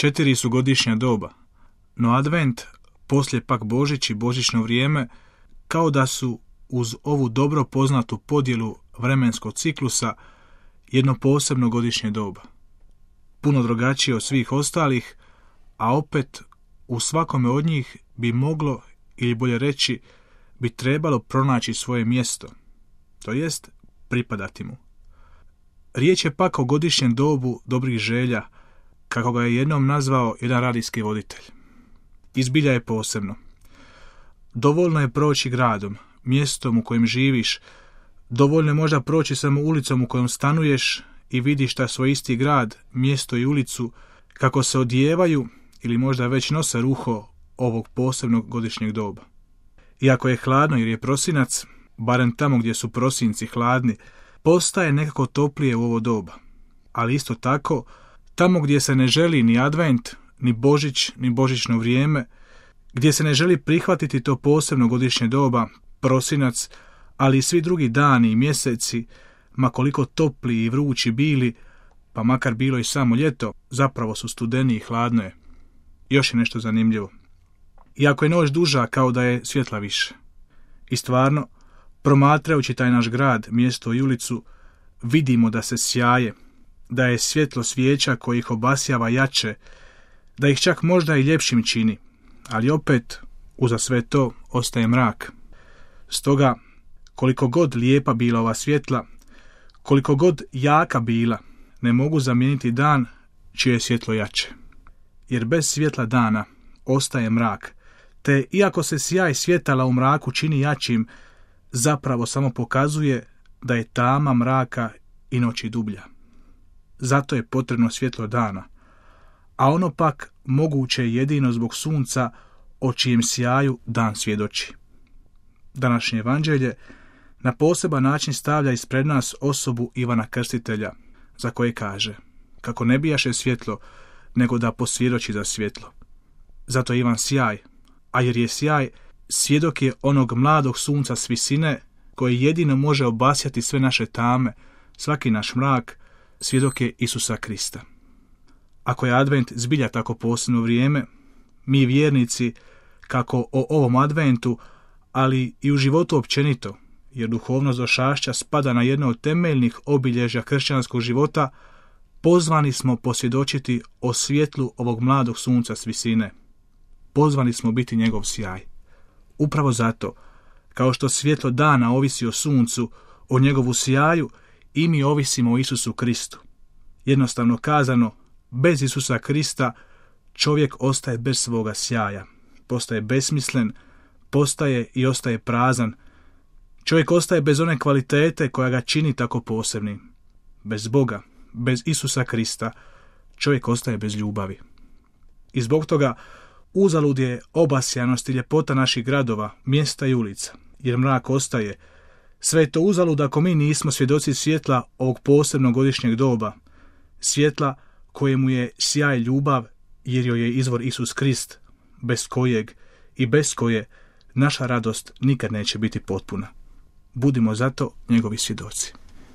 4 su godišnja doba, no advent, poslije pak Božić i božićno vrijeme, kao da su uz ovu dobro poznatu podjelu vremenskog ciklusa jedno posebno godišnje doba. Puno drugačije od svih ostalih, a opet u svakome od njih bi moglo, ili bolje reći, bi trebalo pronaći svoje mjesto, to jest pripadati mu. Riječ je pak o godišnjem dobu dobrih želja, kako ga je jednom nazvao jedan radijski voditelj. Izbilja je posebno. Dovoljno je proći gradom, mjestom u kojem živiš, dovoljno je možda proći samo ulicom u kojom stanuješ i vidiš taj svoj isti grad, mjesto i ulicu, kako se odijevaju ili možda već nose ruho ovog posebnog godišnjeg doba. Iako je hladno jer je prosinac, barem tamo gdje su prosinci hladni, postaje nekako toplije u ovo doba. Ali isto tako, tamo gdje se ne želi ni advent, ni Božić, ni božićno vrijeme, gdje se ne želi prihvatiti to posebno godišnje doba, prosinac, ali i svi drugi dani i mjeseci, ma koliko topli i vrući bili, pa makar bilo i samo ljeto, zapravo su studeni i hladno je. Još je nešto zanimljivo. Iako je noć duža, kao da je svjetla više. I stvarno, promatrajući taj naš grad, mjesto i ulicu, vidimo da se sjaje, da je svjetlo svijeća koji ih obasjava jače, da ih čak možda i ljepšim čini, ali opet, uza sve to, ostaje mrak. Stoga, koliko god lijepa bila ova svjetla, koliko god jaka bila, ne mogu zamijeniti dan čije je svjetlo jače. Jer bez svjetla dana ostaje mrak, te iako se sjaj svjetala u mraku čini jačim, zapravo samo pokazuje da je tama mraka i noći dublja. Zato je potrebno svjetlo dana, a ono pak moguće je jedino zbog sunca o čijem sjaju dan svjedoči. Današnje evanđelje na poseban način stavlja ispred nas osobu Ivana Krstitelja, za koje kaže, kako ne bijaše svjetlo, nego da posvjedoči za svjetlo. Zato je Ivan sjaj, a jer je sjaj, svjedok je onog mladog sunca s visine, koji jedino može obasjati sve naše tame, svaki naš mrak, svjedok je Isusa Krista. Ako je advent zbilja tako posebno vrijeme, mi vjernici, kako o ovom adventu, ali i u životu općenito, jer duhovnost došašća spada na jedno od temeljnih obilježja kršćanskog života, pozvani smo posvjedočiti o svjetlu ovog mladog sunca s visine. Pozvani smo biti njegov sjaj. Upravo zato, kao što svjetlo dana ovisi o suncu, o njegovu sjaju, i mi ovisimo o Isusu Kristu. Jednostavno kazano, bez Isusa Krista čovjek ostaje bez svoga sjaja, postaje besmislen, postaje i ostaje prazan. Čovjek ostaje bez one kvalitete koja ga čini tako posebnim. Bez Boga, bez Isusa Krista, čovjek ostaje bez ljubavi. I zbog toga uzalud je obasjanost i ljepota naših gradova, mjesta i ulica, jer mrak ostaje. Sve je to uzalud ako mi nismo svjedoci svjetla ovog posebnog godišnjeg doba, svjetla kojemu je sjaj ljubav, jer joj je izvor Isus Krist, bez kojeg i bez koje naša radost nikad neće biti potpuna. Budimo zato njegovi svjedoci.